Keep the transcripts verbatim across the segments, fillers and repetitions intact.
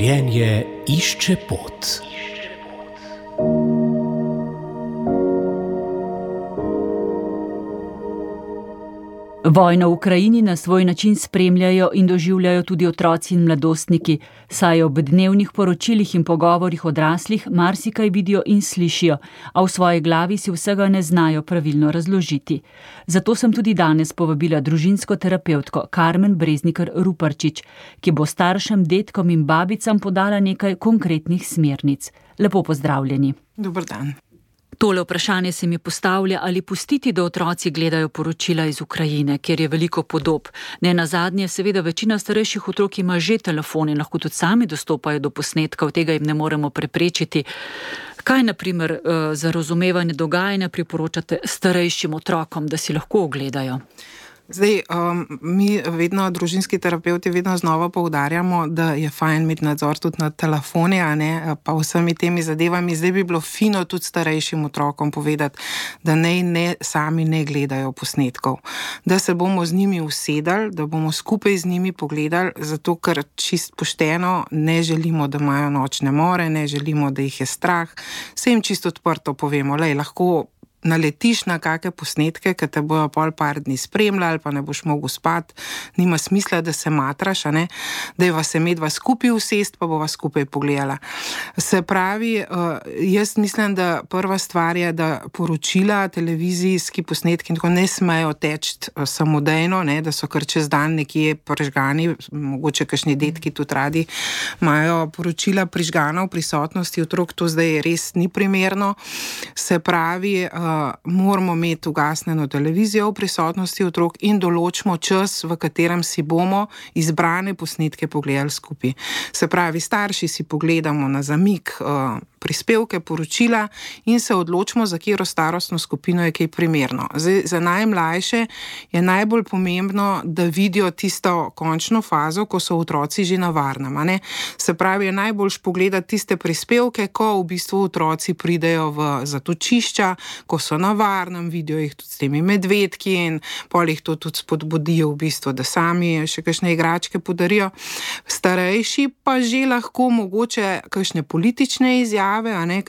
Življenje išče pot. Vojno v Ukrajini na svoj način spremljajo in doživljajo tudi otroci in mladostniki, saj ob dnevnih poročilih in pogovorih odraslih marsikaj vidijo in slišijo, a v svoji glavi si vsega ne znajo pravilno razložiti. Zato sem tudi danes povabila družinsko terapevtko Karmen Breznikar Ruparčič, ki bo staršem, dedkom in babicam podala nekaj konkretnih smernic. Lepo pozdravljeni. Dober dan. Tole vprašanje se mi postavlja, ali pustiti, da otroci gledajo poročila iz Ukrajine, kjer je veliko podob. Ne nazadnje, seveda večina starejših otrok ima že telefon in lahko tudi sami dostopajo do posnetkov, tega jim ne moremo preprečiti. Kaj, na primer, za razumevanje dogajanja priporočate starejšim otrokom, da si lahko ogledajo? Zdaj, um, mi vedno, družinski terapevti, vedno znova poudarjamo, da je fajn imeti nadzor tudi nad telefoni, a ne, pa vsemi temi zadevami. Zdaj bi bilo fino tudi starejšim otrokom povedati, da ne, ne sami ne gledajo posnetkov. Da se bomo z njimi usedali, da bomo skupaj z njimi pogledali, zato ker čist pošteno ne želimo, da imajo nočne more, ne želimo, da jih je strah. Se jim čisto odprto povemo, lej, lahko naletiš na kakšne posnetke, ki te bojo pol par dni spremljali, pa ne boš mogel spati, nima smisla, da se matraš, a ne, da je vas se medva skupaj usest, pa bova skupaj pogledala. Se pravi, jaz mislim, da prva stvar je, da poročila, televizijski posnetki in tako ne smejo teči samodejno, ne, da so kar čez dan nekje prižgani, mogoče kakšni detki tudi radi imajo poročila prižgana v prisotnosti otrok, to zdaj res ni primerno. Se pravi, Uh, moramo imeti ugasnjeno televizijo v prisotnosti otrok in določimo čas, v katerem si bomo izbrane posnetke pogledali skupaj. Se pravi, starši si pogledamo na zamik uh, prispevke, poročila in se odločimo, za katero starostno skupino je kaj primerno. Zdaj, za najmlajše je najbolj pomembno, da vidijo tisto končno fazo, ko so otroci že na varnem, a ne? Se pravi, je najboljš pogledati tiste prispevke, ko v bistvu otroci pridejo v zatočišča, ko so na varnem, vidijo jih tudi s temi medvedki in pol jih to tudi spodbudijo v bistvu, da sami še kakšne igračke podarijo. Starejši pa že lahko mogoče kakšne politične izjave, a ne,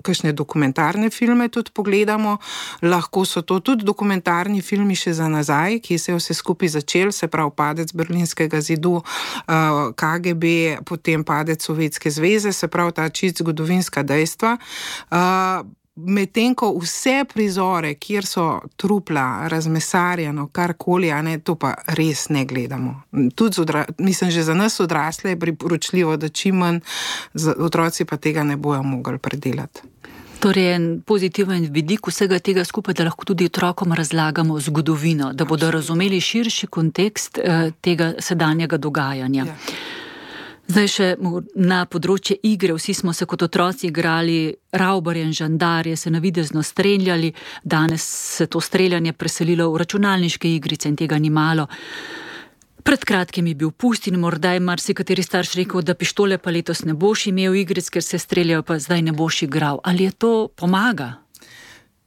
kakšne dokumentarne filme tudi pogledamo. Lahko so to tudi dokumentarni filmi še za nazaj, ki se je vse skupaj začel, se pravi padec Berlinskega zidu, K G B, potem padec Sovjetske zveze, se pravi ta čisto zgodovinska dejstva. Medtem ko vse prizore, kjer so trupla, razmesarjeno, karkoli, a ne, to pa res ne gledamo. Tudi odra, mislim, že za nas odrasle je priporočljivo, da čim manj, otroci pa tega ne bojo mogli predelati. Torej, en pozitiven vidik vsega tega skupaj, da lahko tudi otrokom razlagamo zgodovino, da bodo razumeli širši kontekst eh, tega sedanjega dogajanja. Ja. Zdaj še na področje igre, vsi smo se kot otroci igrali ravbarje in žandarje, se navidezno streljali, danes se to streljanje preselilo v računalniške igrice in tega ni malo. Pred kratkim je bil pust in morda je marsikateri starš rekel, da pištole pa letos ne boš imel igric, ker se streljajo, pa zdaj ne boš igral. Ali je to pomaga?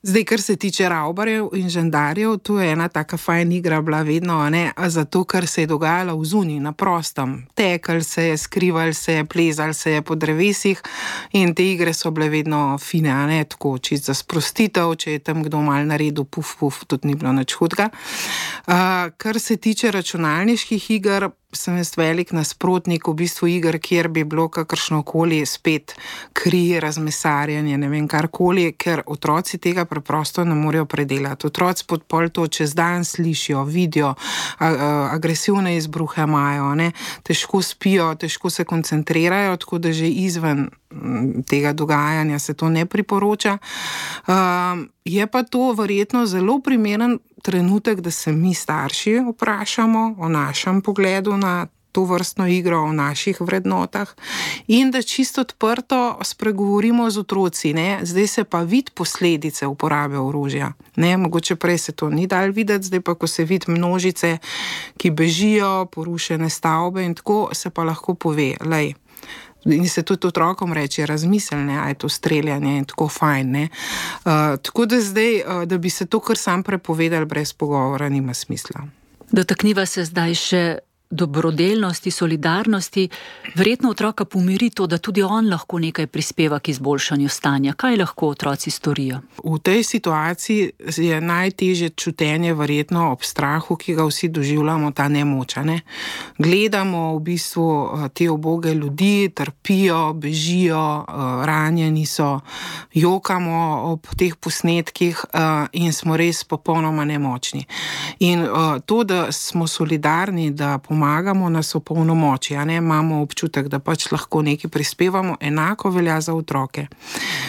Zdaj, kar se tiče ravbarjev in žandarjev, to je ena taka fajn igra bila vedno, a ne, a zato, ker se je dogajala v zunji, na prostem. Tekal se je, skrival se je, plezal se je po drevesih in te igre so bile vedno fine, a ne, tako čisto za sprostitev, če je tam kdo mal naredil puf, puf, tudi ni bilo nič hudega. Uh, kar se tiče računalniških iger, sem jaz velik nasprotnik v bistvu iger, kjer bi bilo kakršnokoli spet kri, razmesarjanje, ne vem, karkoli, ker otroci tega preprosto ne morejo predelati. Otroci pod pol to čez dan slišijo, vidijo, a, a, agresivne izbruhe imajo, ne, težko spijo, težko se koncentrirajo, tako da že izven tega dogajanja se to ne priporoča. Um, je pa to verjetno zelo primeren trenutek, da se mi starši vprašamo o našem pogledu na to vrstno igro, o naših vrednotah in da čisto odprto spregovorimo z otroci, ne. Zdaj se pa vidi posledice uporabe orožja, ne, mogoče prej se to ni dal videti, zdaj pa, ko se vidi množice, ki bežijo, porušene stavbe in tako, se pa lahko pove, lej, in se tudi otrokom reče, razmiselne, a je to streljanje in tako fajn, ne. Uh, tako da zdaj, uh, da bi se to kar sam prepovedali brez pogovora, nima smisla. Dotakniva se zdaj še dobrodelnosti, solidarnosti, verjetno otroka pomiri to, da tudi on lahko nekaj prispeva k izboljšanju stanja. Kaj lahko otroci storijo? V tej situaciji je najtežje čutenje verjetno ob strahu, ki ga vsi doživljamo, ta nemoč. Ne? Gledamo v bistvu te uboge ljudi, trpijo, bežijo, ranjeni so, jokamo ob teh posnetkih in smo res popolnoma nemočni. In to, da smo solidarni, da pomagamo, nas opolnomoči, a ne, imamo občutek, da pač lahko nekaj prispevamo, enako velja za otroke.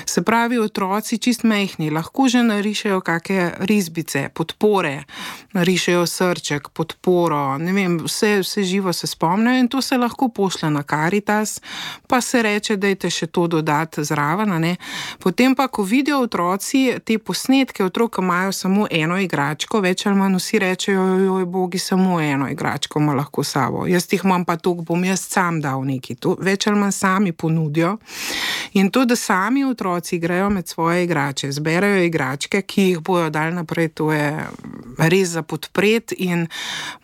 Se pravi, otroci čist mehni, lahko že narišejo kakšne risbice, podpore, narišejo srček, podporo, ne vem, vse, vse živo se spomnejo in to se lahko pošle na Karitas, pa se reče, dajte še to dodati zraven, a ne. Potem pa, ko vidijo otroci te posnetke, otrok imajo samo eno igračko, več ali manj vsi rečejo, joj, bogi, samo eno igračko ima lahko sabo. Jaz jih imam pa toliko, bom jaz sam dal nekaj. To več ali manj sami ponudijo. In to, da sami otroci grejo med svoje igrače, zberajo igračke, ki jih bojo dali naprej, to je res za podpreti in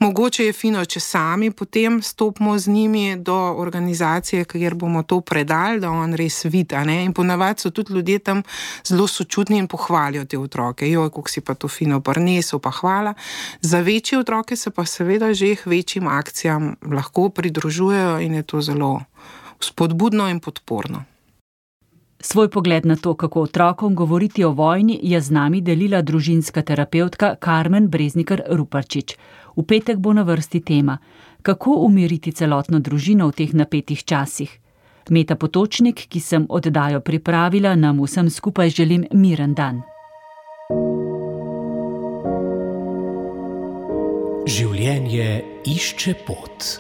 mogoče je fino, če sami potem stopimo z njimi do organizacije, kjer bomo to predali, da on res vidi, a ne. In ponavadi so tudi ljudje tam zelo sočutni in pohvalijo te otroke. Joj, kako si pa to fino prinesel, pa hvala. Za večje otroke se pa seveda že k večjim akcijam lahko pridružujejo in je to zelo spodbudno in podporno. Svoj pogled na to, kako otrokom govoriti o vojni, je z nami delila družinska terapevtka Karmen Breznikar Ruparčič. V petek bo na vrsti tema: kako umiriti celotno družino v teh napetih časih. Meta Potočnik, ki sem oddajo pripravila, nam vsem skupaj želim miren dan. Življenje išče pot.